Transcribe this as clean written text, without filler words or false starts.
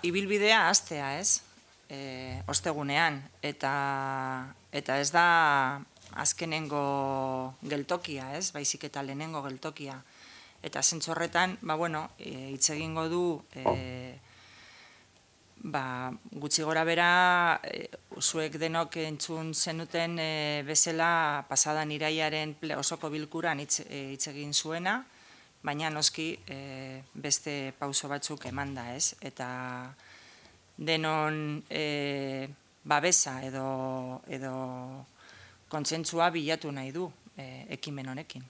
Ibilbidea hastea, ez? Ostegunean, eta ez da azkenengo geltokia, ez? Baizik eta lehenengo geltokia. Eta zentzu horretan, hitz egingo du gutxi gora bera zuek denok entzun zenuten bezala pasadan iraiaren osoko bilkuran hitz egin zuena, baina noski beste pauso batzuk emanda, ez? Eta denon babesa edo kontsentsua bilatu nahi du ekimen honekin.